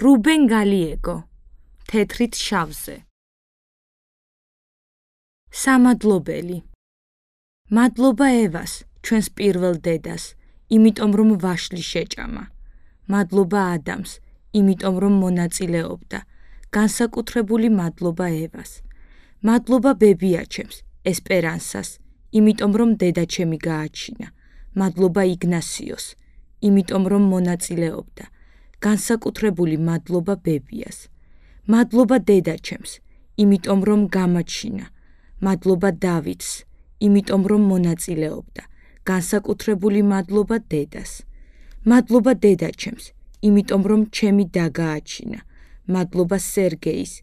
რუბენ გალიეგო, თეთრით შავზე. სამადლობელი. მადლობა ევას, ჩვენს პირველ დედას, იმიტომ რომ ვაშლი შეჭამა. მადლობა ადამს, იმიტომ რომ მონაწილეობდა. განსაკუთრებული მადლობა ევას. მადლობა ბებიაჩემს, ესპერანსას, იმიტომ რომ დედაჩემი გააჩინა. მადლობა იგნასიოს, იმიტომ რომ მონაწილეობდა. განსაკუთრებული მადლობა ბებიას. მადლობა დედაჩემს, იმიტომ რომ გამაჩინა. მადლობა დავითს, იმიტომ რომ მონაწილეობდა. განსაკუთრებული მადლობა დედას. მადლობა დედაჩემს, იმიტომ რომ ჩემი და გააჩინა. მადლობა სერგეის,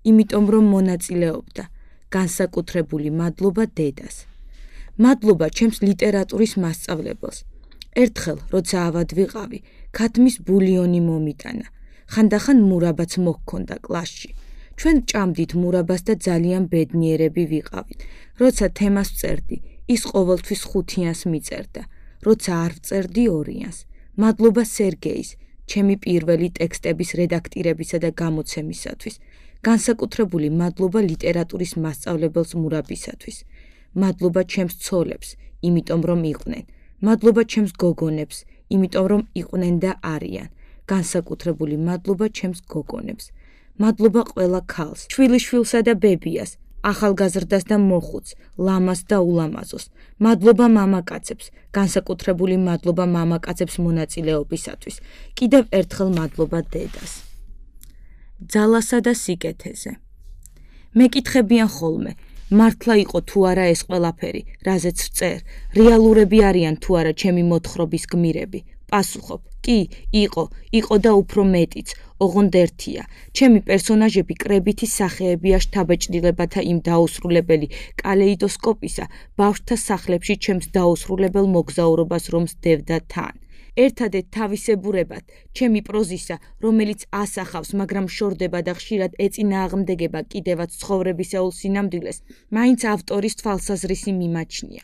იმიტომ რომ მონაწილეობდა. განსაკუთრებული მადლობა დედას. მადლობა ჩემს ლიტერატურის მასწავლებელს. ერთხელ, როცა ავად ვიყავი, ქათმის ბულიონი მომიტანა. ხანდახან მურაბაც მოჰქონდა კლასში. ჩვენ ჭამდით მურაბას და ძალიან ბედნიერები ვიყავით. როცა თემას ვწერდი, ის ყოველთვის 5-იანს მიწერდა. როცა არ ვწერდი 2-იანს. მადლობა სერგეის, ჩემი პირველი ტექსტების რედაქტირებისა და გამოცემისათვის. განსაკუთრებული მადლობა ლიტერატურის მასწავლებელს მურაბისათვის. მადლობა ჩემს ცოლებს, იმიტომ რომ იყვნენ. მადლობა ჩემს გოგონებს, იმიტომ რომ იყვნენ და არიან. განსაკუთრებული მადლობა ჩემს გოგონებს. მადლობა ყველა ქალს, შვილიშვილსა და ბებიას, ახალგაზრდას და მოხუცს, ლამას და ულამაზოს. მადლობა მამაკაცებს, განსაკუთრებული მადლობა მამაკაცებს მონაწილეობისათვის. კიდევ ერთხელ მადლობა დედას. ძალასა და სიკეთეზე. მეკითხებიან ხოლმე, მართლა იყო თუ არა ეს ყველაფერი, რაზეც ვწერ, რეალურები არიან თუ არა ჩემი მოთხრობის გმირები. პასუხობ, კი, იყო და უფრო მეტიც, ოღონდ ერთია. ჩემი პერსონაჟები კრებითი სახეებია შთაბეჭდილებათა იმ დაუსრულებელი კალეიდოსკოპისა, ბავშვთა სახლებში ჩემს დაუსრულებელ მოგზაურობას რომ სდევდა თან. ერთადერთ თავისებურებად, ჩემი პროზისა, რომელიც ასახავს, მაგრამ შორდება და ხშირად ეწინააღმდეგება კიდევაც ცხოვრებისეულ სინამდვილეს, მაინც ავტორის თვალსაზრისი მიმაჩნია.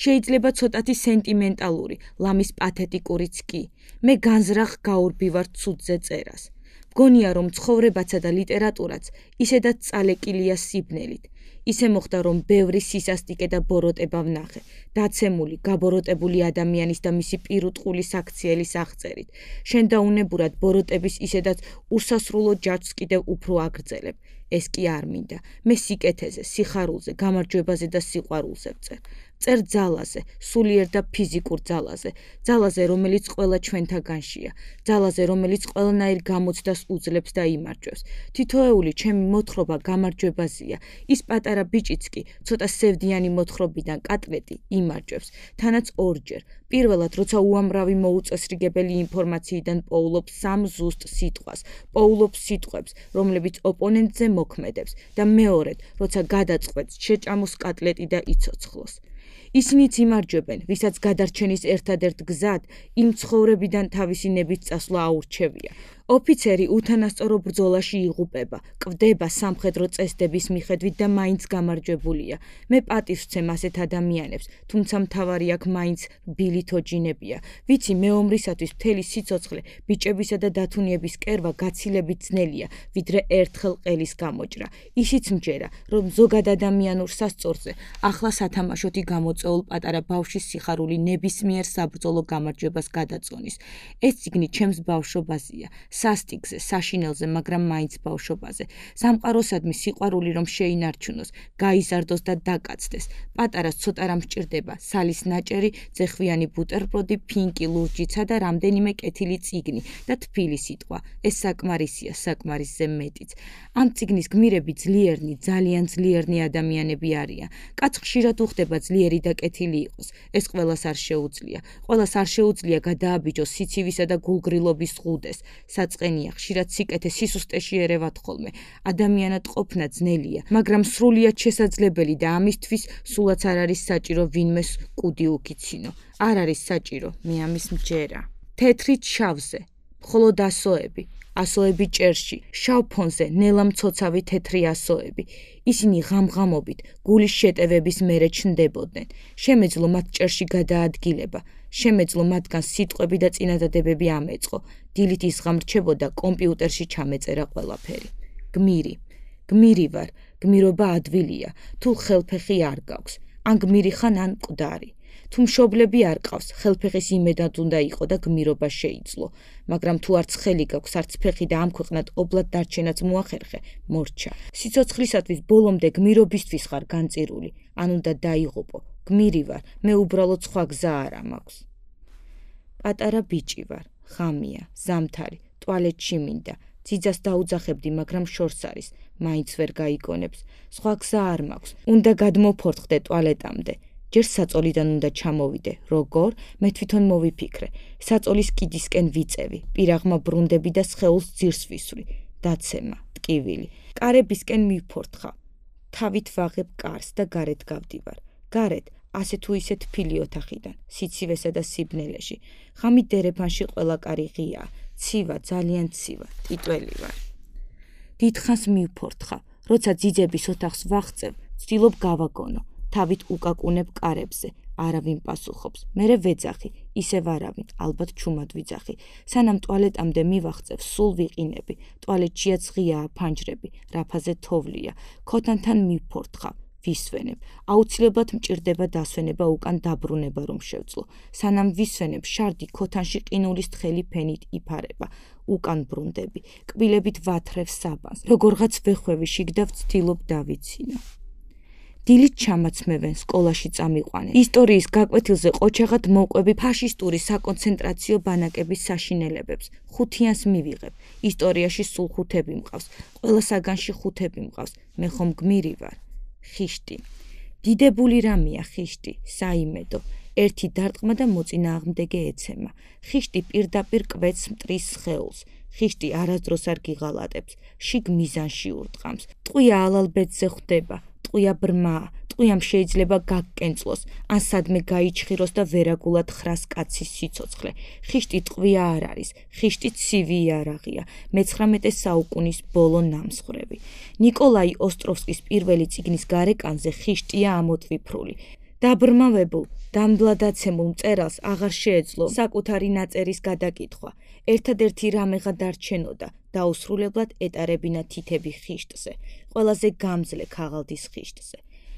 შეიძლება ცოტათი სენტიმენტალური, ლამის პათეტიკურიც კი. მე განზრახ გაურბივარ ცუდზე წერას. მგონია რომ ცხოვრებაცა და ლიტერატურაც ისედაც წალეკილია სიბნელით. ისე მოხდა რომ ბევრი სისასტიკე და ბოროტება ვნახე, დაცემული, გაბოროტებული ადამიანის და მისი პირუტყულის აქციელის აღწერით. შენ დაუნებურად ბოროტების ისედაც უსასრულო ჯაჭვს კიდევ უფრო აგრძელებ. ეს კი არ მინდა. მე სიკეთეზე, სიხარულზე, გამარჯვებაზე და სიყვარულზე ვწერ. წერ ძალაზე, სულიერ და ფიზიკურ ძალაზე, ძალაზე, რომელიც ყველა ჩვენთაგანშია, ძალაზე, რომელიც ყველანაირ გამოცდას უძლებს და იმარჯვებს. თითოეული ჩემი მოთხრობა გამარჯვებაზეა. ის პატარა ბიჭიც კი, ცოტა სევდიანი მოთხრობიდან კატლეტი იმარჯვებს, თანაც ორჯერ. პირველად, როცა უამრავი მოუწესრიგებელი ინფორმაციიდან პოულობს სამ ზუსტ სიტყვას, პოულობს სიტყვებს, რომლებიც ოპონენტზე მოქმედებს და მეორედ, როცა გადაწყვეტს შეჭამოს კატლეტი და იცოცხლოს. ისინიც იმარჯვებენ, ვისაც გადარჩენის ერთადერთ გზად იმ ცხოვრებიდან თავისი ნებით წასვლა აურჩევია. ოფიცერი უთანასწორო ბრძოლაში იღუპება, კვდება სამხედრო წესდების მიხედვით და მაინც გამარჯვებულია. მე პატივს ვცემ ასეთ ადამიანებს, თუმცა მთავარი აქ მაინც ბილითოჯინებია. ვიცი მეომრისათვის მთელი სიცოცხლე, ბიჭებისა და დათუნიების კერვა გაცილებით ძნელია, ვიდრე ერთხელ ყელის გამოჭრა. ისიც მჯერა, რომ ზოგად ადამიანურ სასწორზე ახლა სათამაშოთი გამოწვეულ პატარა ბავშვის სიხარული ნებისმიერ საბრძოლო გამარჯვებას გადაწონის. ეს წიგნი ჩემს ბავშვობაზეა. სასტიკზე, საშინელზე, მაგრამ მაინც ბავშვობაზე. სამყაროსადმი სიყვარული რომ შეინარჩუნოს, გაიზარდოს და დაკაცდეს. პატარას ცოტა რამ სჭირდება, სალის ნაჭერი, ძეხვიანი ბუტერბროდი, ფინკი, ლურჯიცა და რამდენიმე კეთილი წიგნი და თბილი სიტყვა. ეს საკმარისია, საკმარისზე მეტიც. ამ წიგნის გმირები ძლიერნი, ძალიან ძლიერნი ადამიანები არიან. კაც ხშირად უხდება ძლიერი და კეთილი იყოს. ეს ყველას არ შეუძლია. ყველას არ შეუძლია გადააბიჯოს სიცივისა და გულგრილობის ზღუდეს. საწყენია, ხშირად სიკეთე სისუსტეში ერევათ ხოლმე. ადამიანად ყოფნა ძნელია, მაგრამ სრულიად შესაძლებელი და ამისთვის სულაც არ არის საჭირო ვინმეს კუდი უკიცინო. არ არის საჭირო, მე ამის მჯერა. თეთრით შავზე, მხოლოდ ასოები, ასოები ჭერში, შავ ფონზე ნელა მცოცავი თეთრი ასოები. ისინი ღამღამობით გულის შეტევების მერე ჩნდებოდნენ. შემეძლო მათ ჭერში გადაადგილება, შემეძლო მათგან სიტყვები და წინადადებები ამეწყო. დილით ის ღამრჩებოდა კომპიუტერში ჩამეწერა ყველაფერი. გმირი ვარ, გმირობა ადვილია, თუ ხელფეხი არ გაქვს, ან გმირი ხან ან მკვდარი. თუ მშობლები არ ყავს, ხელფეხის იმედად უნდა იყო და გმირობა შეიცლო, მაგრამ თუ არც ხელი გაქვს, არც ფეხი და ამ ქვეყნად ობლად დარჩენაც მოახერხე, მორჩა. სიცოცხლისათვის ბოლომდე გმირობისთვის ხარ განწირული, ან უნდა დაიღუპო. გმირი ვარ, მე უბრალოდ სხვა გზა არა მაქვს. პატარა ბიჭი ვარ, ღამია, ზამთარი, ტუალეტში მინდა. ძიძას დაუძახებდი, მაგრამ შორს არის, მაინც ვერ გაიგონებს. სხვა გზა არ მაქვს, უნდა გადმოფორთხდე ტუალეტამდე. ჯერ საწოლიდან უნდა ჩამოვიდე, როგორ? მე თვითონ მოვიფიქრე. საწოლის კიდისკენ ვიწევი, პირაღმა ბრუნდები და სხეულს ძირს ვისვრი. დაცემა, ტკივილი. კარებისკენ მივფორთხავ. თავით ვაღებ კარს და გარეთ გავდივარ. გარეთ, ასე თუ ისე თბილი ოთახიდან, სიცივესა და სიბნელეში. ღამით დერეფანში ყველა კარი ღიაა. ცივა, ძალიან ცივა, ტიტველი ვარ. დიდხანს მივფორთხავ, როცა ძიძების ოთახს ვაღწევ, ვცდილობ გავაგონო. თავით უკაკუნებ კარებზე, არავინ პასუხობს. მერე ვეძახი, ისევ არავინ, ალბათ ჩუმად ვიძახი. სანამ ტუალეტამდე მივაღწევ, სულ ვიყინები. ტუალეტშიაც ღიაა ფანჯრები, რაფაზე თოვლია. ქოთანთან მივფორთხავ, ვისვენებ. აუცილებლად მჭირდება დასვენება უკან დაბრუნება რომ შევძლო. სანამ ვისვენებ, შარდი ქოთანში ყინულის თხელი ფენით იფარება. უკან ბრუნდები. კბილებით ვათრევ საბანს. როგორღაც ვეხვევი შიგ და ვცდილობ დავიცინო. დილით ჩამაცმევენ, სკოლაში წამიყვანენ. ისტორიის გაკვეთილზე ყოჩაღად მოვყვები ფაშისტური საკონცენტრაციო ბანაკების საშინელებებს. 5-იანს მივიღებ. ისტორიაში სულ 5-ები მყავს. ყველა საგანში 5-ები მყავს. მე ხომ გმირი ვარ. ხიშტი. დიდებული რამეა ხიშტი, საიმედო. ერთი დარტყმა და მოწინააღმდეგე ეცემა. ხიშტი პირდაპირ კვეთს მტრის სხეულს. ხიშტი არასდროს არ გიღალატებს, შიგ მიზანში ურტყამს. ტყვია ალალბედზე ხვდება. ტყვია ბრმაა, ტყვიამ შეიძლება გაგკენწლოს, ან სადმე გაიჩხიროს და ვერაგულად ხრას კაცის სიცოცხლე. ხიშტი ტყვია არ არის, ხიშტი ცივი იარაღია, მე-19 საუკუნის ბოლო ნამსხვრევი. ნიკოლაი ოსტროვსკის პირველი წიგნის გარეკანზე ხიშტია ამოტვიფრული. დაბრმავებულ, დამბლადაცემულ მწერალს აღარ შეეძლო საკუთარი ნაწერის გადაკითხვა. ერთადერთი რამეღა დარჩენოდა, დაუსრულებლად ეტარებინა თითები ხიშტზე, ყველაზე გამძლე ქაღალდის ხიშტზე.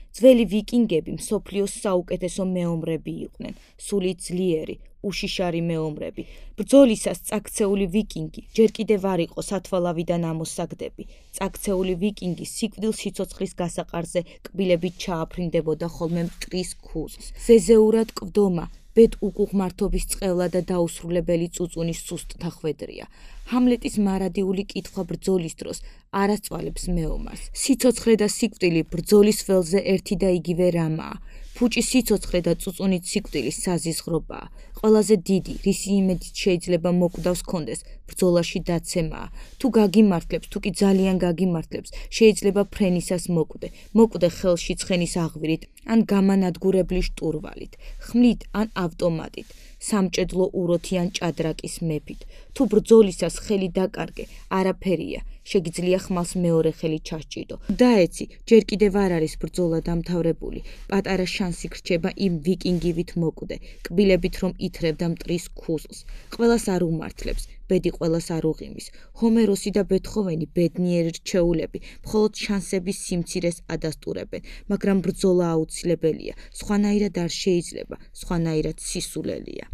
ძველი ვიკინგები მსოფლიოს საუკეთესო მეომრები იყვნენ, სული ძლიერი, უშიშარი მეომრები. ბრძოლისას წაქცეული ვიკინგი ჯერ კიდევ არ იყო სათვალავიდან ამოსაგდები. წაქცეული ვიკინგი სიკვდილ სიცოცხლის გასაყარზე კბილებით ჩააფრინდებოდა ხოლმე მტრის ქუზს. ზეზეურად კვდომა, ბედ უკუღმართობის წყევლა და დაუსრულებელი წუწუნის სუსტთა ხვედრია. ჰამლეტის მარადიული კითხვა ბრძოლის დროს არასწვალებს მეომარს. სიცოცხლე და სიკვდილი ბრძოლის ველზე ერთი და იგივე რამაა. ფუჭი სიცოცხლე და წუწუნით სიკვდილი საზიზღრობაა. ყველაზე დიდი, რისი იმედით შეიძლება მოკვდავს კონდეს, ბრძოლაში დაცემაა. თუ გაგიმართლებს, თუ კი ძალიან გაგიმართლებს, შეიძლება ფრენისას მოკვდე ხელში ცხენის აღვირით, ან გამანადგურებლის შტურვალით, ხმლით ან ავტომატით, სამჭედლო უროთი ან ჭადრაკის მეფით. თუ ბრძოლისას ხელი დაკარგე, არაფერია, შეგიძლია ხმალს მეორე ხელი ჩასჭიდო. დაეცი, ჯერ კიდევ არ არის ბრძოლა დამთავრებული, პატარა შანსი გრჩება იმ ვიკინგივით მოკვდე, კბილებით რომ ითრევდა მტრის ქუზლს. ყველას არ უმართლებს, ბედი ყველას არ უღიმის. ჰომეროსი და ბეთჰოვენი ბედნიერი რჩეულები, მხოლოდ შანსების სიმცირეს ადასტურებენ, მაგრამ ბრძოლა აუცილებელია, სხვანაირად არ შეიძლება, სხვანაირად სისულელია.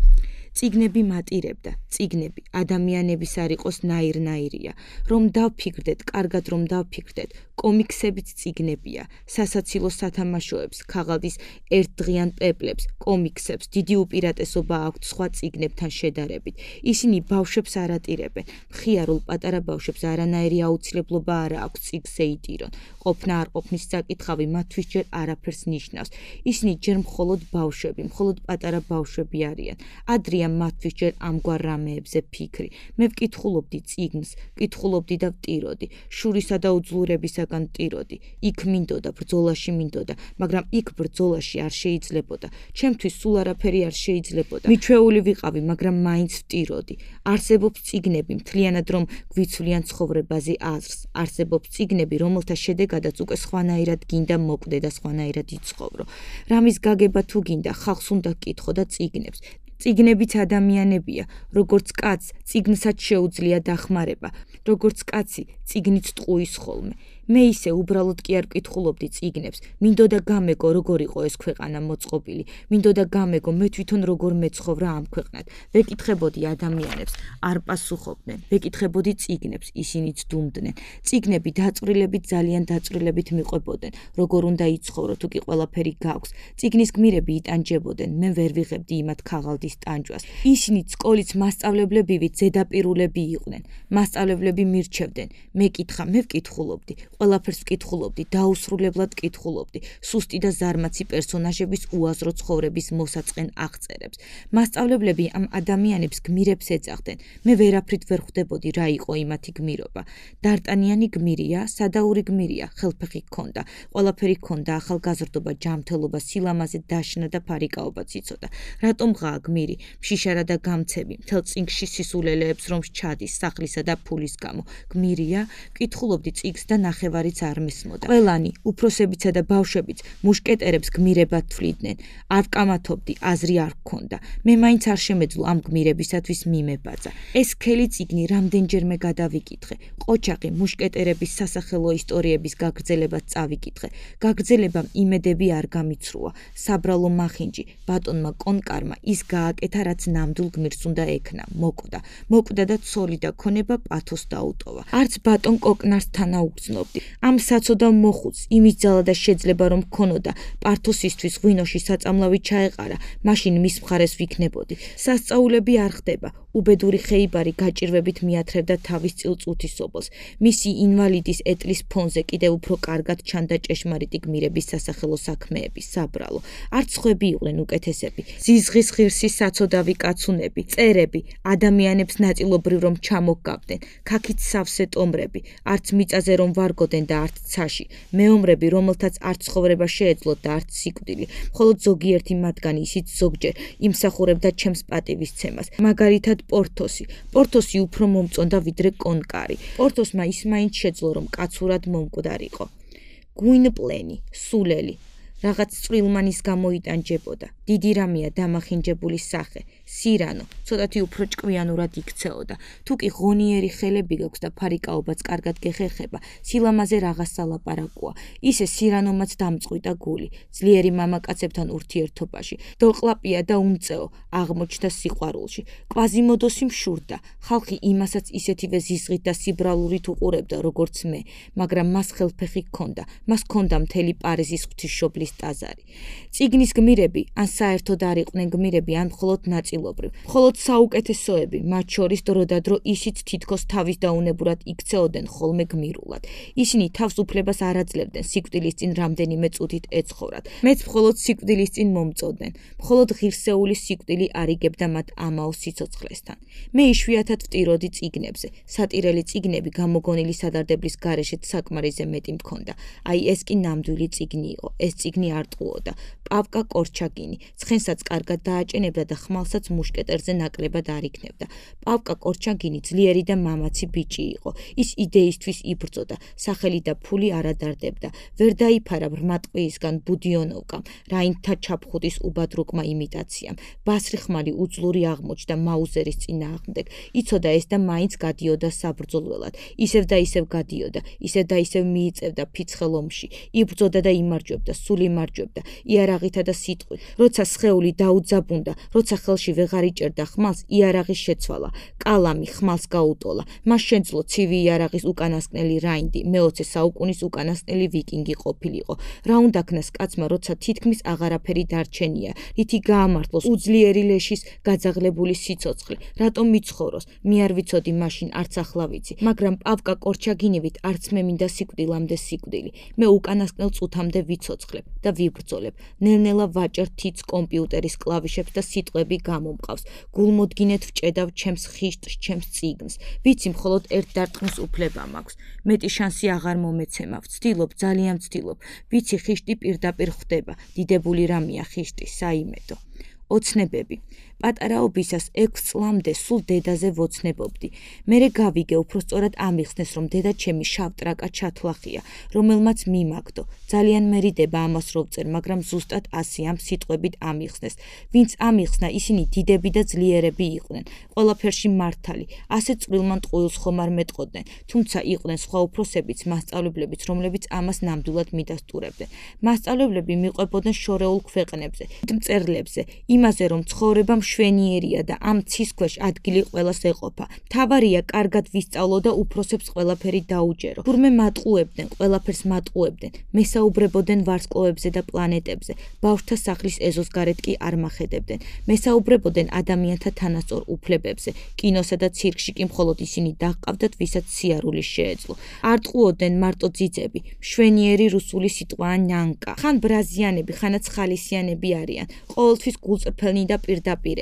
წიგნები მატირებდა, წიგნები ადამიანების არ იყოს ნაირ-ნაირია. რომ დავფიქრდეთ, კარგად რომ დავფიქრდეთ, კომიქსებიც წიგნებია, სასაცილო სათამაშოებს, ქაღალდის ერთდღიან პეპლებს, კომიქსებს დიდი უპირატესობა აქვთ სხვა წიგნებთან შედარებით. ისინი ბავშვებს არ ატირებენ, მხიარულ პატარა ბავშვებს არანაირი აუცილებლობა არ აქვს წიგნზე იტირონ. ყოფნა არ ყოფნის საკითხავი მათთვის ჯერ არაფერს ნიშნავს. ისინი ჯერ მხოლოდ ბავშვები, მხოლოდ პატარა ბავშვები არიან. ადრე მქონია მათთვის ჯერ ამგვარ რამეებზე ფიქრი. მე ვკითხულობდი წიგნს, ვკითხულობდი და ვტიროდი, შურისა და უძლურებისაგან ვტიროდი. იქ მინდოდა, ბრძოლაში მინდოდა, მაგრამ იქ ბრძოლაში არ შეიძლებოდა. ჩემთვის სულ არაფერი არ შეიძლებოდა. მიჩვეული ვიყავი, მაგრამ მაინც ვტიროდი. არსებობს წიგნები, მთლიანად რომ გვიცვლიან ცხოვრებაზე აზრს. არსებობს წიგნები, რომელთა შედეგადაც უკვე სხვანაირად გინდა მოკვდე და სხვანაირად იცხოვრო. რამის გაგება თუ გინდა, ხალხს უნდა კითხო და წიგნებს. წიგნებიც ადამიანებია, როგორც კაცს წიგნსაც შეუძლია დახმარება, როგორც კაცი წიგნიც ტყუის ხოლმე. მე ისე უბრალოდ კი არ ვკითხულობდი წიგნებს, მინდოდა გამეგო როგორ იყო ეს ქვეყანა მოწყობილი, მინდოდა გამეგო მე თვითონ როგორ მეცხოვრა ამ ქვეყნად. ვეკითხებოდი ადამიანებს, არ პასუხობდნენ, ვეკითხებოდი წიგნებს, ისინიც დუმდნენ. წიგნები დაწვრილებით ძალიან დაწვრილებით მიყვებოდნენ, როგორ უნდა იცხოვრო თუ კი ყველაფერი გაქვს. წიგნის გმირები იტანჯებოდნენ, მე ვერ ვიღებდი იმათ ქაღალდის ტანჯვას. ისინიც სკოლის მასწავლებლებივით ზედაპირულები იყვნენ. მასწავლებლები მირჩევდნენ, მე კითხა, მე ვკითხულობდი. ყველაფერს ვკითხულობდი, დაუსრულებლად ვკითხულობდი, სუსტი და ზარმაცი პერსონაჟების უაზრო ცხოვრების მოსაწყენ აღწერებს. მასწავლებლები ამ ადამიანებს გმირებს ეძახდნენ. მე ვერაფრით ვერ ხვდებოდი რა იყო იმათი გმირობა. დარტანიანი გმირია, სადაური გმირია, ხელფეხი ჰქონდა, ყველაფერი ჰქონდა, ახალგაზრდობა, ჯანმრთელობა, სილამაზე, დაშნა და ფარიკაობაც იცოდა. რატომ ღაა გმირი, მშიშარა და გამცემი, მთელ წიგნში სისულელეებს რომ ჩადის სახლისა და ფულის გამო. გმირია, ვკითხულობდი წიგნს და ნახევარიც არ მესმოდა. ყველანი, უფროსებიცა და ბავშვებიც მუშკეტერებს გმირებად თვლიდნენ. არ ვკამათობდი, აზრი არ გქონდა. მე მაინც არ შემეძლო ამ გმირებისათვის მიმებაძა. ეს სქელი წიგნი რამდენჯერმე გადავიკითხე. ყოჩაყი მუშკეტერების სასახელო ისტორიების გაგრძელებაც წავიკითხე. გაგრძელებამ იმედები არ გამიცრუა. საბრალო მახინჯი, ბატონმა კონკარმა ის გააკეთა, რაც ნამდვილ გმირს უნდა ექნა, მოკვდა. მოკვდა და ცოლი და ქონება პათოს დაუტოვა. არც ბატონ კოკნარს თანაუგრძნობდი. ამ საცოდავ მოხუც, იმის ძალა და შეძლება რომ ქონოდა, პართოსისთვის ღვინოში საწამლავი ჩაეყარა, მაშინ მის მხარეს ვიქნებოდი. სასწაულები არ ხდება. უბედური ხეიბარი გაჭირვებით მიათრევდა თავის წილწუთისობელს. მისი ინვალიდის ეტლის ფონზე კიდევ უფრო კარგად ჩანდა ჭეშმარიტი გმირების სასახელო საქმეები, საბრალო. არც ხვები იყვნენ უკეთესები. ზიზღის ღირსი საცოდავი კაცუნები, წერები, ადამიანებს ნაწილობრივ რომ ჩამოგგავდნენ, ქაქით სავსე ტომრები, არც მიწაზე რომ ვარგოდნენ და არც ცაში, მეომრები, რომელთაც არც ცხოვრება შეეძლოთ და არც სიკვდილი, მხოლოდ ზოგიერთი მათგანი ისიც ზოგჯერ იმსახურებდა ჩემს პატივისცემას, მაგალითად პორთოსი უფრო მომწონდა ვიდრე კონკარი. პორთოსმა ის მაინც შეძლო რომ კაცურად მომკვდარიყო. გვინპლენი, სულელი, რაღაც წვრილმანის გამოიტანჯებოდა. დიდი რამეა დამახინჯებული სახე, სირანო, ცოტათი უფრო ჭკვიანურად იქცეოდა. თუ კი ღონიერი ხელები გაქვს და ფარიკაობაც კარგად გეხეხება, სილამაზე რაღაც სალაპარაკოა. ისე სირანომაც დამწყვიტა გული, ძლიერი მამაკაცებთან ურთიერთობაში, დოყლაპია და უმწეო, აღმოჩნდა სიყვარულში. კვაზიმოდოსი მშურდა, ხალხი იმასაც ისეთივე ზიზღით და სიბრალურით უყურებდა, როგორც მე, მაგრამ მას ხელფეხი ჰქონდა, მას ჰქონდა მთელი პარიზის ღვთისმშობლის ტაძარი. წიგნის გმირები, ან საერთოდ არ იყვნენ გმირები, ან მხოლოდ ნაწილობრივ. მხოლოდ საუკეთესოები, მათ შორის დროდადრო ისიც თითქოს თავის დაუნებურად იქცეოდნენ ხოლმე გმირულად. ისინი თავს უფლებას არ აძლევდნენ სიკვდილის წინ რამდენიმე წუთით ეცხოვრათ. მეც მხოლოდ სიკვდილის წინ მომწოდნენ. მხოლოდ ღირსეული სიკვდილი არიგებდა მათ ამაო სიცოცხლესთან. მე იშვიათად ვტიროდი წიგნებზე. სატირელი წიგნები გამოგონილი სადარდებლის გარეშეც საკმარისზე მეტი მქონდა. აი ეს კი ნამდვილი წიგნი იყო. ეს წიგნი არ ტყუოდა. პავკა კორჩაგინი, ცხენსაც კარგად დააჭენებდა და ხმალსაც მუშკეტერზე ნაკლებად არ იქნებდა. პავკა კორჩაგინი ძლიერი და მამაცი ბიჭი იყო. ის იდეისთვის იბრძოდა, სახელი და ფული არ ადარდებდა. ვერ დაიფარა ბრმატყვიისგან ბუდიონოვკამ, რაინდთა ჩაფხუტის უბადრუკმა იმიტაციამ. ბასრიხმალი უძლური აღმოჩნდა მაუზერის წინააღმდეგ. იცოდა ეს და მაინც გადიოდა საბრძოლველად. ისევ და ისევ გადიოდა, ისევ და ისევ მიიწევდა ფიცხელ ომში. იბრძოდა და იმარჯვებდა, სულ იმარჯვებდა, იარაღითა და სიტყვით. როცა სხეული დაუძაბუნდა, როცა ხელში ვეღარ იჭერდა ხმალს, იარაღი შეცვალა, კალამი ხმალს გაუტოლა. მას შეძლო ცივი იარაღის უკანასკნელი რაინდი, მე-20 საუკუნის უკანასკნელი ვიკინგი ყოფილიყო. რა უნდა ქნას კაცმა, როცა თითქმის აღარაფერი დარჩენია, რითი გაამართლოს უძლიერი ლეშის გაძაღლებული სიცოცხლე, რატომ მიცხოვროს, მე არ ვიცოდი მაშინ, არც ახლა ვიცი, მაგრამ პავკა კორჩაგინივით არც მე მინდა სიკვდილამდე სიკვდილი. მე უკანასკნელ წუთამდე ვიცოცხლებ და ვიბრძოლებ, ნელ-ნელა ვაჭერ თითს კომპიუტერის კლავიშებს და სიტყვები გამომყავს. გულმოდგინედ ვჭედავ ჩემს ხიშტს, ჩემს წიგნს. ვიცი, მხოლოდ ერთ დარტყმის უფლება მაქვს. მეტი შანსი აღარ მომეცემა. ვცდილობ, ძალიან ვცდილობ. ვიცი, ხიშტი პირდაპირ ხვდება. დიდებული რამეა ხიშტი, საიმედო. ოცნებები. პატარაობისას 6 წლამდე სულ დედაზე ვოცნებობდი. მერე გავიგე, უпроსწორად ამიხსნეს, რომ დედა ჩემი შავ ტრაკა ჩათლახია, რომელმაც მიმაგდო. ძალიან მერიდება ამას რო ვწერ, მაგრამ ზუსტად ასე ამ სიტყვებით ამიხსნეს. ვინც ამიხსნა, ისინი დიდები და ძლიერები იყვნენ. ყველაფერში მართალი, ასე წვრილმან ტყუილს ხომ არ მეტყოდნენ, თუმცა იყვნენ სხვა უფროსებიც, მასწავლებლებიც, რომლებიც ამას ნამდვილად მიდასტურებდნენ. მასწავლებლები მიყვებოდნენ შორეულ ქვეყნებზე, მწერლებზე, იმაზე, რომ ცხოვრება მშვენიერია და ამ ცის ქვეშ ადგილი ყველას ეყოფა. მთავარია კარგად ვისწავლო და უფროსებს ყველაფერი დაუჯერო. თურმე მატყუებდნენ, ყველაფერს მატყუებდნენ, მესაუბრებოდნენ ვარსკვლავებზე და პლანეტებზე, ბავშვთა სახლის ეზოს გარეთ კი არ მახედებდნენ. მესაუბრებოდნენ ადამიანთა თანასწორ უფლებებზე, კინოსა და ცირკში კი მხოლოდ ისინი დაჰყავდათ, ვისაც სიარული შეეძლო. არ ტყუოდნენ მარტო ძიძები, მშვენიერი რუსული სიტყვაა ნიანკა. ხან ბრაზიანები, ხანაც ხალისიანები არიან, ყოველთვის გულწრფელნი და პირდაპირები.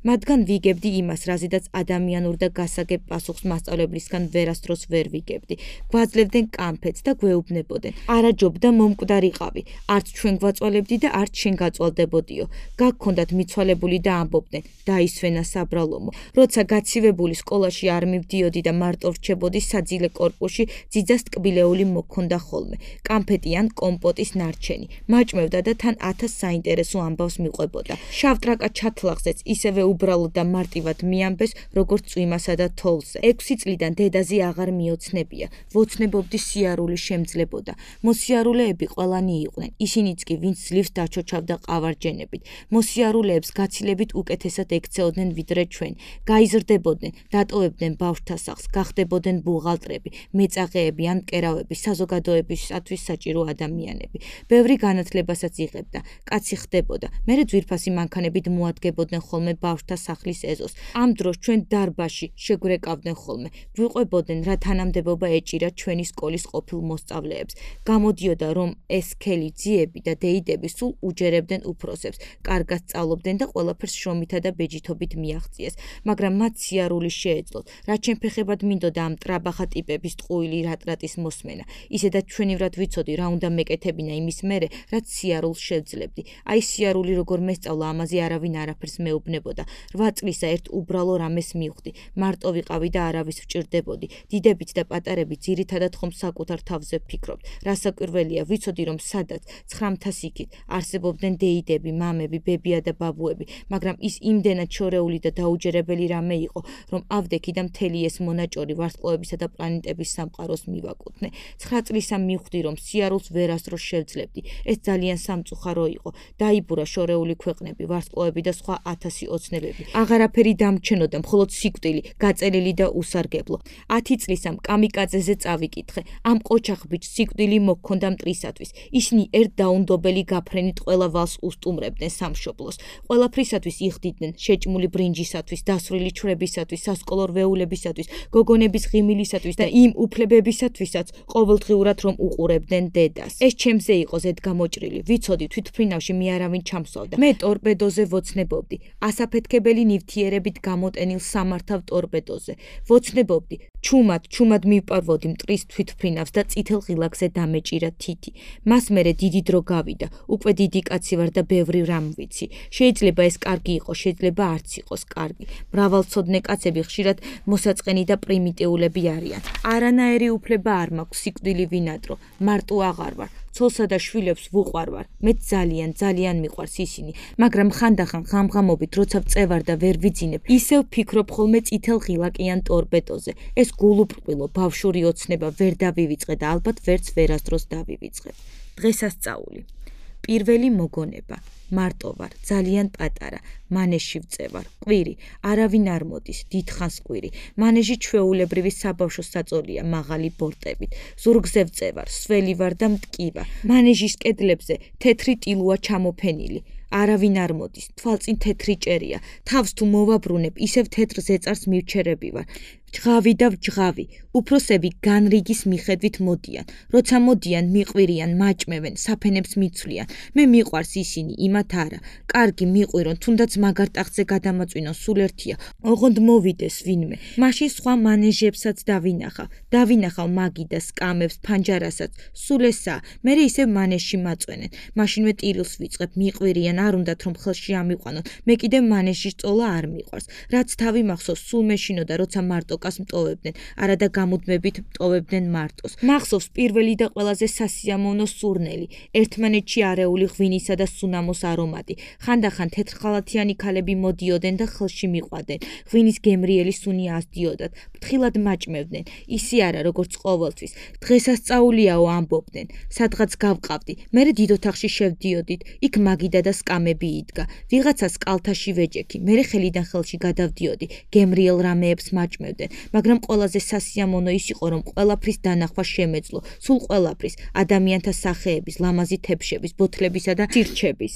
მათგან ვიგებდი იმას, რაზედაც ადამიანურ და გასაგებ პასუხს მასწავლებლისგან ვერასდროს ვერ ვიგებდი. გვაძლევდნენ კამფეტს და გვეუბნებოდნენ. არაჯობდა მომკვდარიყავი, არც ჩვენ გვაწვალებდი და არც შენ გაწვალდებოდიო. გაგქონდათ მიცვალებული და ამბობდნენ, დაისვენა საბრალომო. როცა გაცივებული სკოლაში არ მივდიოდი და მარტო ვრჩებოდი საძილე კორპუსში, ძიძას ტკბილეული მოქონდა ხოლმე. კამფეტი ან კომპოტის ნარჩენი. მაჭმევდა და თან 1000 საინტერესო ამბავს მიყვებოდა. შავ ტრაკა ჩათლახზეც ისევე უბრალოდ და მარტივად მიამბეს, როგორც წვიმასა და თოვლზე. 6 წლიდან დედაზე აღარ მიოცნებია. ვოცნებობდი სიარული შემძლებოდა. მოსიარულეები ყველანი იყვნენ. ისინიც კი, ვინც ძლივს დაჩოჩავდა ყავარჯენებით. მოსიარულეებს გაცილებით უკეთესად ექცეოდნენ ვიდრე ჩვენ. გაიზრდებოდნენ, დატოვებდნენ ბავშვთა სახლს, გახდებოდნენ ბუღალტრები, მეწაღეები ან მკერავები, საზოგადოებისათვის საჭირო ადამიანები. ბევრი განათლებასაც იღებდა. კაცი ხდებოდა. მერე ძვირფასი მანქანებით მოადგებოდნენ ხოლმე ბავშვთა სახლის ეზოს. ამ დროს ჩვენ დარბაზში შეგვრეკავდნენ ხოლმე. ვიყვებოდნენ, რა თანამდებობა ეჭირა ჩვენი სკოლის ყოფილ მოსწავლეებს. გამოდიოდა, რომ ეს სქელი ძიები და დეიდები სულ უჯერებდნენ უფროსებს, კარგად სწავლობდნენ და ყველაფერს შრომითა და ბეჯითობით მიაღწიეს, მაგრამ მათ სიარული შეეძლოთ. რაც შემფეხებად მინდოდა ამ ტრაბახა ტიპების ტყუილი რატრატის მოსმენა. ისედაც ჩვენივრად ვიცოდი, რა უნდა მეკეთებინა იმის მერე, რაც სიარულს შევძლებდი. აი სიარული როგორ მესწავლა, ამაზე არავინ არაფერს მეუბნებოდა. 8 წლისა ერთ უბრალო რამეს მივხვდი. მარტო ვიყავი და არავის ვჭირდებოდი. დიდებიც და პატარებიც ძირითადად ხომ საკუთარ თავზე ვფიქრობთ. რასაკვირველია, ვიცოდი, რომ სადაც 900 იქით არსებობდნენ დეიდები, მამები, ბებია და ბაბუები, მაგრამ ის იმდენად შორეული და დაუჯერებელი რამე იყო, რომ ავდექი და მთელი ეს მონაჭორი ვარსკვლავებისა და პლანეტების სამყაროს მივაკუთვნე. 9 წლისა მივხვდი, რომ სიარულს ვერასდროს შევძლებდი. ეს ძალიან სამწუხარო იყო. დაიბურა შორეული ქვეყნები, ვარსკვლავები და სხვა 1000 ოცნებები. აღარაფერი დამჩენოდა, მხოლოდ სიკვდილი, გაწერილი და უსარგებლო. 10 წლისამ კამიკაძეზე წავიკითხე. ამ ყოჩახ ბიჭს სიკვდილი მოჰქონდა მტრისათვის. ისინი ერთ დაუნდობელი გაფრენით ყველა ვალს უსტუმრებდნენ სამშობლოს. ყველაფრისათვის იხდიდნენ, შეჭმული ბრინჯისათვის, დასვრილი ჩვრებისათვის, სასკოლო რვეულებისათვის, გოგონების ღიმილისათვის და იმ უფლებებისათვისაც, ყოველდღიურად რომ უყურებდნენ დედას. ეს ჩემზე იყო ზედგამოჭრილი. ვიცოდი, თვითმფრინავში მე არავინ ჩამსვავდა. მე ტორპედოზე ვოცნებობდი. ასაფეთქებელი ნივთიერებით გამოტენილ სამართავ ტორპედოზე. ვოცნებობდი. ჩუმად მივპარვოდი მტრის თვითმფრინავს და წითელ ღილაკზე დამეჭირა თითი. მას მერე დიდი დრო გავიდა. უკვე დიდი კაცი ვარ და ბევრი რამ ვიცი. შეიძლება ეს კარგი იყოს, შეიძლება არც იყოს კარგი. მრავალცოდნე კაცები ხშირად მოსაწყენი და პრიმიტიულები არიან. არანაირი უფლება არ მაქვს სიკვდილი ვინადრო. მარტო აღარ ვარ. ცოლსა და შვილებს ვუყვარვარ. მე ძალიან მიყვარს ისინი, მაგრამ ხანდახან ღამღამობით როცა ვწევარ და ვერ ვიძინებ, ისევ ვფიქრობ ხოლმე წითელ ღილაკიან ტორპედოზე. ეს გულუბრყვილო ბავშვური ოცნება ვერ დავივიწყე და ალბათ ვერც ვერასდროს დავივიწყებ. დღესასწაული. პირველი მოგონება. მარტო ვარ, ძალიან პატარა, მანეჟში ვწევარ. ყვირი, არავინ არ მოდის, დიდხანს ყვირი. მანეჟი ჩვეულებრივი საბავშვო საწოლია, მაღალი ბორტებით. ზურგზე ვწევარ, სველი ვარ და მტკივა. მანეჟის კედლებზე თეთრი ტილოა ჩამოფენილი. არავინ არ მოდის, თვალწინ თეთრი ჭერია, თავს თუ მოვაბრუნებ, ისევ თეთრ ზეწარს მივჩერები ვარ. ჯღავი და ვჯღავი, უფროსები განრიგის მიხედვით მოდიან, როცა მოდიან მიყვირიან, მაჭმევენ, საფენებს მიცვლიან, მე მიყვარს ისინი, იმათ არა, კარგი მიყვირონ, თუნდაც მაგარ ტახტზე გადამაწვინონ, სულ ერთია, ოღონდ მოვიდეს ვინმე, მაშინ სხვა მანეჟებსაც დავინახავ მაგიდას, კამებს, ფანჯარასაც, სულ ესაა, მერე ისევ მანეჟში მაწვენენ, მაშინვე ტირილს ვიწყებ, მიყვირიან, არ უნდათ რომ ხელში ამიყვანონ, მე კიდე მანეჟში სწოლა არ მიყვარს, რაც თავი მახსოვს, სულ მეშინოდა, როცა მარტო მტოვებდნენ, არადა გამუდმებით მტოვებდნენ მარტოს. მახსოვს პირველი და ყველაზე სასიამოვნო სურნელი, ერთმანეთში არეული ღვინისა და სუნამოს არომატი. ხანდახან თეთრხალათიანი ქალები მოდიოდნენ და ხელში მიყვადნენ. ღვინის გემრიელი სუნი ასდიოდათ, ფრთხილად მაჭმევდნენ. ისი არა, როგორც ყოველთვის. დღესასწაულიაო ამბობდნენ. სადღაც გავყავდი, მერე დიდ ოთახში შევდიოდით, იქ მაგიდა და სკამები იდგა. ვიღაცას კალთაში ვეჭექი, მერე ხელიდან ხელში გადავდიოდი, გემრიელ რამეებს მაჭმევდნენ. მაგრამ ყველაზე სასიამოვნო ის იყო, რომ ყველაფრის დანახვა შემეძლო, სულ ყველაფრის, ადამიანთა სახეების, ლამაზი თებშების, ბოთლებისა და სირჩების.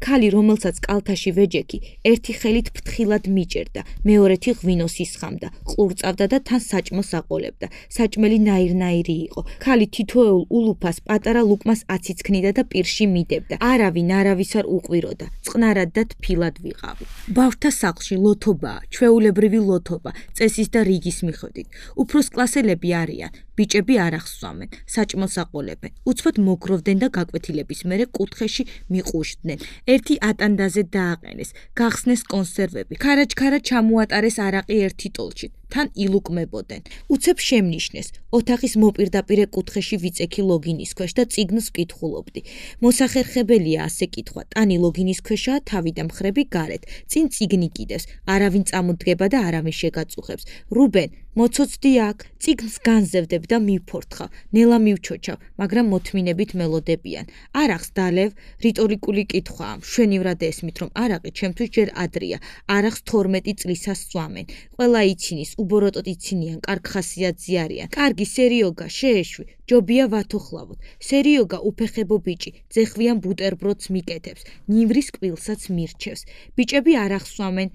ქალი, რომელსაც კალთაში ვეჯექი, ერთი ხელით ფრთხილად მიჭერდა, მეორეთი ღვინოს ისხამდა, ყურწავდა და თან საჭმელს აყოლებდა. საჭმელი ნაირ-ნაირი იყო. ქალი თითოეულ ულუფას პატარა ლუკმას აციცქნიდა და პირში მიდებდა. არავინ არავის არ უყვიროდა, წყნარად და თბილად ვიყავი. ბავშვთა სახლში ლოთობაა, ჩვეულებრივი ლოთობა, წესის და რიგის მიხედვით. უფროს კლასელები არიან, ბიჭები არ ახსვამენ, საჭმელს აყოლებენ, უცბად მოგროვდნენ და გაკვეთილების მერე კუთხეში მიყუშდნენ. ერთი ატანდაზე დააყენეს, გახსნეს კონსერვები, ქარაჩქარა ჩამოატარეს არაყი ერთი ტოლჩით, თან ილუკმებოდნენ. უცებ შემნიშნეს, ოთახის მოპირდაპირე კუთხეში ვიწექი ლოგინის ქვეშ და წიგნს ვკითხულობდი. მოსახერხებელია ასე კითხვა, ტანი ლოგინის ქვეშაა თავი და მხრები გარეთ, წინ წიგნი კიდევს, არავინ წამოდგება და არავინ შეგაწუხებს. რუბენ, მოცოცდი აქ, წიგნს განზევდებ და მივფორთხავ, ნელა მივჩოჩავ, მაგრამ მოთმინებით მელოდებიან. არ ახს დალევ, რიტორიკული კითხვაა, მშვენივრად ესმით, რომ არაყი ჩემთვის ჯერ ადრია, არ ახს 12 წლისას სწვამენ. ყველა იცინის, უბოროტოდ იცინიან, კარგ ხასიათზე არიან. კარგი სერიოგა, შეეშვი, ჯობია ვათოხლავოთ. სერიოგა უფეხებო ბიჭი, ძეხვიან ბუტერბროდს მიკეთებს, ნივრის კბილსაც მირჩევს. ბიჭები არ ახსვამენ,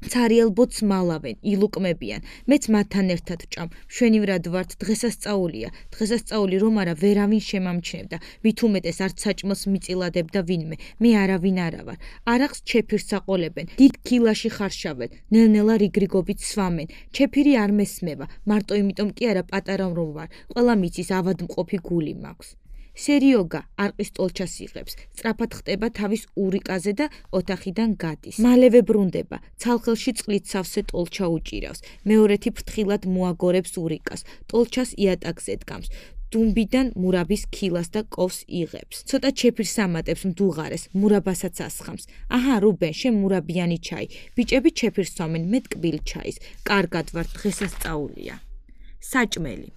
ცარიელბოც მალავენ, ილუკმებიან. მეც მათთან ერთად ვჭამ, მშვენივრად ვართ, დღესასწაულია. დღესასწაული რომ არა ვერავინ შემამჩნევდა, მით უმეტეს არც საჭმელს მიწილადებდა ვინმე, მე არავინ არა ვარ. არახს ჩეფირს აყოლებენ, დიდ ქილაში ხარშავენ, ნელ-ნელა რიგრიგობით სვამენ. ჩეფირი არ მესმევა, მარტო იმიტომ კი არა პატარა რომ ვარ, ყველა მიცის ავადმყოფი გული მაქვს. სერიოგა არყის ტოლჩას იღებს, სწრაფად ხტება თავის ურიკაზე და ოთახიდან გადის. მალევე ბრუნდება, ცალხელში წყლით სავსე ტოლჩა უჭირავს, მეორეთი ფრთხილად მოაგორებს ურიკას, ტოლჩას იატაკზე დგამს. დუმბიდან მურაბის ქილას და კოვს იღებს. ცოტა ჩეფირს ამატებს მდუღარეს, მურაბასაც ასხამს. აჰა, რუბენ, შენ მურაბიანი ჩაი. ბიჭები ჩეფირს სვამენ, მე ტკბილ ჩაის. კარგად ვარ, დღესასწაულია. საჭმელი.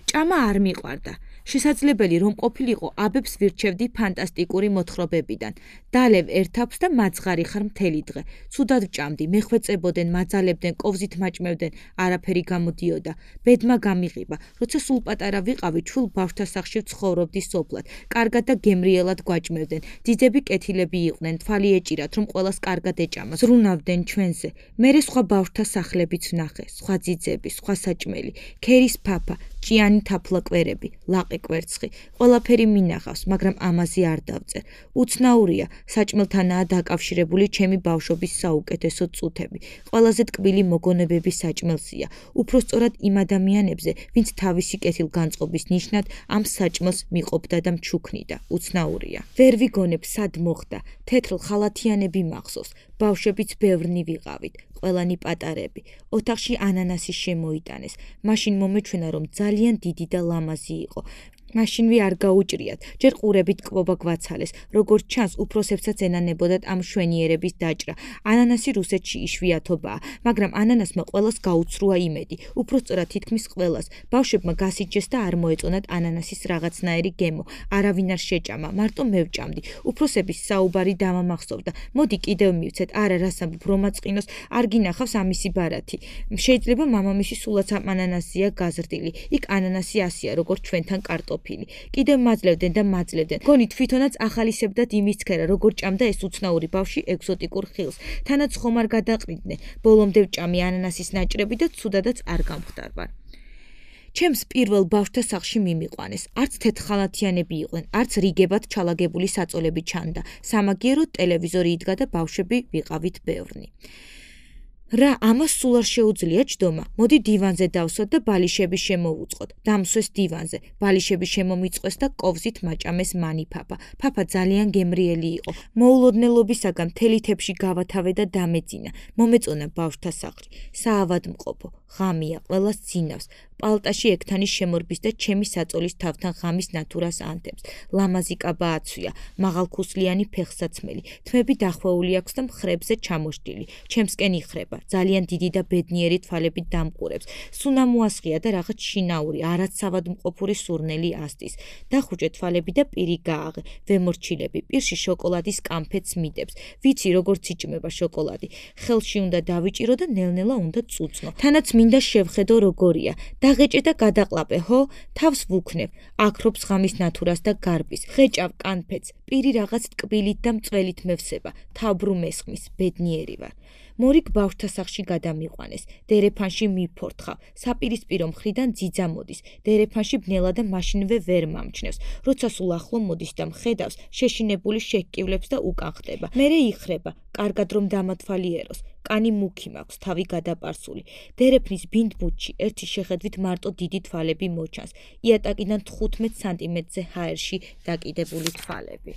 ჭამა არ მიყვარდა. შესაძლებელი რომ ყოფილიყო აბებს ვირჩევდი ფანტასტიკური მოთხრობებიდან. დალევ ერთავს და მაძღარი ხარ მთელი დღე. ცუდად ვჭამდი, მეხვეწებოდნენ, მაძალებდნენ, კოვზით მაჭმევდნენ, არაფერი გამოდიოდა. ბედმა გამიღება, როცა სულ პატარა ვიყავი, ჩხვილ ბავშვთა სახლში ვცხოვრობდი სოფლად. კარგად და გემრიელად გვაჭმევდნენ. ძიძები კეთილები იყვნენ, თვალი ეჭირათ, რომ ყველას კარგად ეჭამას. ზრუნავდნენ ჩვენზე. მერე სხვა ბავშვთა სახლებიც ვნახე, სხვა ძიძები, სხვა საჭმელი, ქერის ფაფა, ჭიანი თაფლა კვერები, ლაყი კვერცხი, ყველაფერი მინახავს, მაგრამ ამაზე არ დავწერ. უცნაურია, საჭმელთანაა დაკავშირებული ჩემი ბავშვობის საუკეთესო წუთები. ყველაზე ტკბილი მოგონებები საჭმელსია, უფრო სწორად იმ ადამიანებზე, ვინც თავისი კეთილგანწყობის ნიშნად ამ საჭმელს მიყოფდა და მჩუქნიდა. უცნაურია. ვერ ვიგონებ სად მოხდა, თეთრ ხალათიანები მახსოვს, ბავშვებიც ბევრნი ვიყავით. ყველანი პატარები. ოთახში ანანასი შემოიტანეს. მაშინ მომეჩვენა, რომ ძალიან დიდი და ლამაზი იყო. მაშინვე არ გაუჭრიათ, ჯერ ყურებით კბობა გვაცალეს, როგორც ჩანს, უფროსებსაც ენანებოდათ ამ შვენიერების დაჭრა. ანანასი რუსეთში იშვიათობაა, მაგრამ ანანასმა ყველას გაუცრუა იმედი, უпроსწორად თითქმის ყველას. ბავშვებმა გასიჯეს და არ მოეწონათ ანანასის რაღაცნაირი გემო, არავინ არ შეჭამა, მარტო მე ვჭამდი. უფროსების საუბარი დამამახსოვდა. მოდი კიდევ მივცეთ, არა რას ამბობ, რომაწყინოს, არ გინახავს ამისი ბარათი. შეიძლება მამამისი სულაც ამ ანანასია გაზრდილი. იქ ანანასი ასია, როგორც ჩვენთან კარტოფილი. ყოფილი. კიდევ მაძლევდნენ და მაძლევდნენ. გონი თვითონაც ახალისებდათ იმის ცქერა, როგორ ჭამდა ეს უცნაური ბავშვი ეგზოტიკურ ხილს. თანაც ხომ არ გადაყრიდნენ. ბოლომდე ვჭამი ანანასის ნაჭრები და ცუდადაც არ გამხდარვარ. ჩემს პირველ ბავშვთა სახლში მიმიყვანეს. არც თეთრხალათიანები იყვნენ, არც რიგებად ჩალაგებული საწოლები ჩანდა. სამაგიეროდ ტელევიზორი იდგა და ბავშვები ვიყავით ბევრნი. რა, ამას სულ არ შეუძლია ჯდომა. მოდი დივანზე დავსვათ და ბალიშები შემოვუწყოთ. დამსვეს დივანზე. ბალიშები შემომიწყვეს და კოვზით მაჭამეს მანი ფაფა. ფაფა ძალიან გემრიელი იყო. მოულოდნელობისაგან მთელი თებში გავათავე და დამეძინა. მომეწონა ბავშვთა სახლი. საავადმყოფო. ღამია, ყველას ძინავს. პალტაში ექთანის შემორბის და ჩემი საწოლის თავთან ღამის ნათურას ანთებს. ლამაზი კაბა აცვია, მაღალქუსლიანი ფეხსაცმელი. თმები დახვეული აქვს და მხრებზე ჩამოშლილი. ჩემსკენ იხრება. ძალიან დიდი და ბედნიერი თვალებით დამყურებს. სუნა მოასხია და რაღაც შინაური, არაც სავადმყოფური სურნელი ასდის. დახუჭე თვალები და პირი გააღე. ვემორჩილები. პირში შოკოლადის კამფეტს მიდებს. ვიცი როგორც იჭმება შოკოლადი. ხელში უნდა დავიჭირო და ნელ-ნელა უნდა წუწნო. თანაც მინდა შევხედო როგორია. დაღეჭე და გადაყლაპე, ხო? თავს ვუქნებ. აქრობს ღამის ნათურას და გარბის. ღეჭავ კანფეტს. პირი რაღაც ტკბილით და მწველით მევსება. თავბრუ მესხმის. ბედნიერი ვარ. მორიგ ბავშვთა სახლში გადამიყვანეს. დერეფანში მიფორთხავ. საპირისპირო მხრიდან ძიძა მოდის. დერეფანში ბნელა და მაშინვე ვერ მომჩნევს. როცა სულ ახლო მოდის და მხედავს, შეშინებული შეჰკივლებს და უკან ხდება. მერე იხრება. კარგად რომ დამათვალიეროს. კანი მუქი მაქვს, თავი გადაპარსული. დერეფნის ბინდბუთში ერთი შეხედვით მარტო დიდი თვალები მოჩანს. იატაკიდან 15 სანტიმეტრზე ჰაერში დაკიდებული თვალები.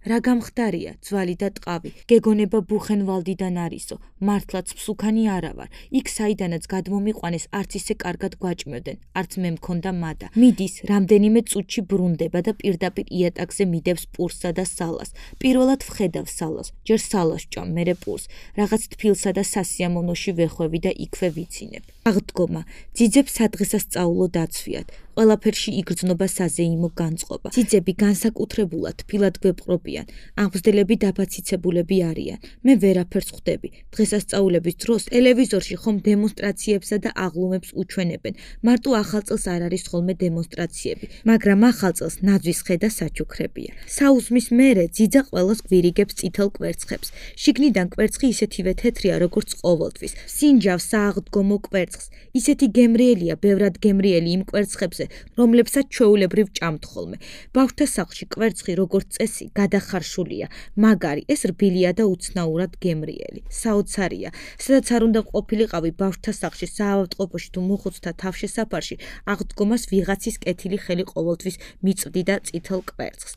რა გამხდარია, ძვალი და ტყავი, გეგონება ბუხენვალდიდან არისო, მართლაც მსუქანი არა ვარ, იქ საიდანაც გადმომიყვანეს არც ისე კარგად გვაჭმევდნენ, არც მე მქონდა მადა. მიდის, რამდენიმე წუთში ბრუნდება და პირდაპირ იატაკზე მიდევს პურსსა და სალას. პირველად ვხედავს სალას, ჯერ სალას ვჭამ, მერე პურს, რაღაც თბილსა და სასიამოვნოში ვეხვევი და იქვე ვიცინებ. აღდგომა, ძიძებს სადღესასწაულო დაცვიათ. ყველაფერში იგრძნობა საზეიმო განწყობა. ძიძები განსაკუთრებულად თბილად გვეპყრობიან, აღმზრდელები დაფაციცებულები არიან. მე ვერაფერს ხვდები. დღესასწაულების დროს ტელევიზორში ხომ დემონსტრაციებსა და აღლუმებს უჩვენებენ. მარტო ახალწელს არ არის ხოლმე დემონსტრაციები, მაგრამ ახალწელს ნაძვის ხე და საჩუქრებია. საუზმის მერე ძიძა ყველას გვირიგებს წითელ კვერცხებს. შიგნიდან კვერცხი ისეთივე თეთრია, როგორც ყოველთვის. სინჯავს სააღდგომო კვერცხს. ისეთი გემრიელია, ბევრად გემრიელი იმ კვერცხებზე, რომლებსაც ჩვეულებრივ ჭამთ ხოლმე. ბავშვთა სახლში კვერცხი როგორც წესი გადახარშულია, მაგარი, ეს რბილია და უცნაურად გემრიელი. საოცარია, სადაც არ უნდა ყოფილიყავი ბავშვთა სახლში, საავადმყოფოში თუ მოხუცთა თავშესაფარში, აღდგომას ვიღაცის კეთილი ხელი ყოველთვის მიწვდი და წითელ კვერცხს.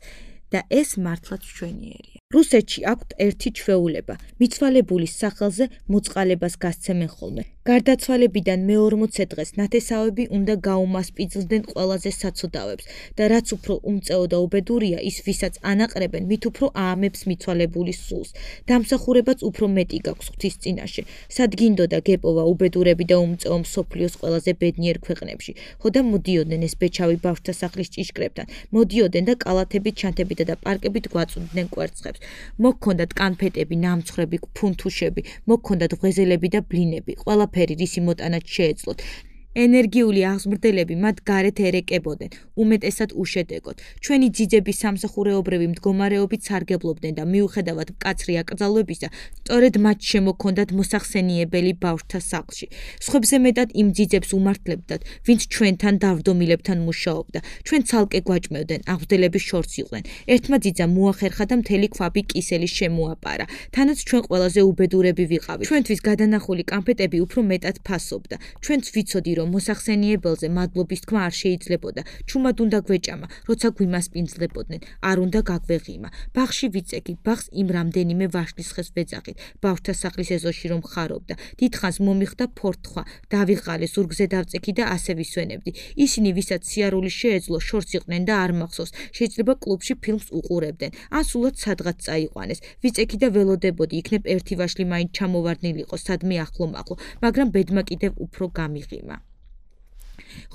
და ეს მართლაც ჩვენიერია. რუსეთში აქვთ ერთი ჩვეულება, მიცვალებულის სახელზე მოწყალებას გასცემენ ხოლმე. გარდაცვალებიდან მე-40 დღეს ნათესავები უნდა გაუმასპინძლდნენ ყველაზე საცოდავებს და რაც უფრო უმწეო და უბედურია ის, ვისაც ანაყრებენ, მით უფრო აამებს მიცვალებულის სულს. დამსახურებაც უფრო მეტი გაქვს ღვთის წინაშე. სადგინდოდა გეპოვა უბედურები და უმწეო მსოფლიოს ყველაზე ბედნიერ ქვეყნებში. ხო და მოდიოდნენ ეს ბეჩავი ბავშვთა სახლის ჭიშკრებთან, მოდიოდნენ და კალათებით, ჩანთებით და პარკებით გვაწვდდნენ კვერცხებს. მოქონდათ კანფეტები, ნამცხრები, ფუნთუშები, მოქონდათ ღვეზელები და ბლინები, ყველაფერი რისი მოტანაც შეეძლოთ. ენერგიული აღმზრდელები მათ გარეთ ერეკებოდნენ, უმეტესად უშედეგოდ. ჩვენი ძიძები სამსახურეობრივი მდგომარეობით სარგებლობდნენ და მიუხედავად მკაცრი აკრძალვებისა, სწორედ მათ შემოქონდათ მოსახსენიებელი ბავშვთა სახლში. სხვებზე მეტად იმ ძიძებს უმართლებდათ, ვინც ჩვენთან დავდომილებთან მუშაობდა. ჩვენ ცალკე გვაჭმევდნენ, აღმზრდელების შორს იყვნენ. ერთმა ძიძამ მოახერხა და მთელი ქვაბი კისელი შემოაპარა. თანაც ჩვენ ყველაზე უბედურები ვიყავით. ჩვენთვის გადანახული კანფეტები უფრო მეტად ფასობდა. ჩვენც ვიცოდი, რომ მოსახსენიებელზე მადლობის თქმა არ შეიძლებოდა. ჩუმად უნდა გვეჭამა, როცა გვიმასპინძლებოდნენ, არ უნდა გაგვეღიმა. ბაღში ვიწეგი, ბაღს იმ რამდენიმე ვაშლის ხეს ვეძახით. ბავშვთა სახლის ეზოში რომ ხარობდა. დიდხანს მომიხდა ფორთხვა, დავიღალე, ზურგზე დავწექი და ასე ვისვენებდი. ისინი, ვისაც სიარული შეეძლო, შორს იყვნენ და არ მახსოვს. შეიძლება კლუბში ფილმს უყურებდნენ, ან სულაც სადღაც წაიყვანეს. ვიწექი და ველოდებოდი, იქნებ ერთი ვაშლი მაინც ჩამოვარდნილიყო სადმე ახლო-მახლო, მაგრამ ბედმა კიდევ უფრო გამიღიმა.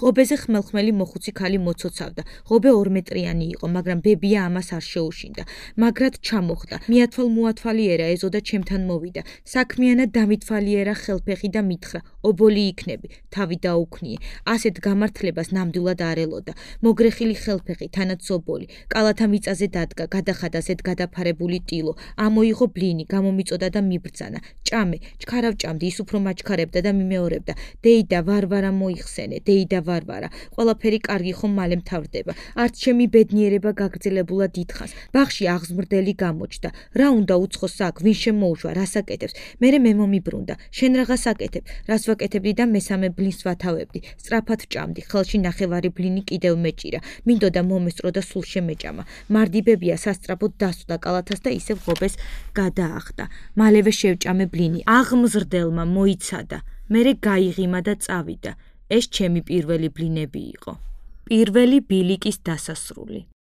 ღობეზე ხმელხმელი მოხუცი ქალი მოცოცავდა. ღობე 2 მეტრიანი იყო, მაგრამ ბებია ამას არ შეუშინდა. მაგრად ჩამოხდა. მიათვალ-მოათვალიერა ეზო და ჩემთან მოვიდა. საქმიანად დამითვალიერა ხელფეხი და მითხრა: ობოლი იქნები, თავი დაუქნიე. ასეთ გამართლებას ნამდვილად არ ელოდა. მოგრეხილი ხელფეხი, თანაც ობოლი, კალათა მიწაზე დადგა, გადახადა ასეთ გადაფარებული ტილო. ამოიღო ბლინი, გამომიწოდა და მიბრძანა. ჭამე, ჩქარავ ჭამდი, ის უფრო მაჩქარებდა და მიმეორებდა. დეიდა ვარვარა მოიხსენე, დეიდა ვარვარა. ყველაფერი კარგი ხომ მალე მთავრდება. არც ჩემი ბედნიერება გაგრძელებულად ითხას. ბაღში აღზმრდელი გამოჩნდა. რა უნდა უცხოს აქ, ვინ შემოუშვა, რას აკეთებს? მერე მე მომიბრუნდა. შენ რაღაც აკეთებ, რას ვაკეთებდი და მესამე ბლინს ვათავებდი. სწრაფად ჭამდი, ხელში ნახევარი ბლინი კიდევ მეჭირა. მინდოდა მომესწრო და სულ შემეჭამა. მარდიბებია სასწრაფოდ დასვდა კალათას და ისევ ღობეს გადაახდა. მალევე შევჭამე ბლინი. აღმზრდელმა მოიცადა. მერე გაიღიმა და წავიდა. ეს ჩემი პირველი ბლინები იყო. პირველი ბილიკის დასასრული.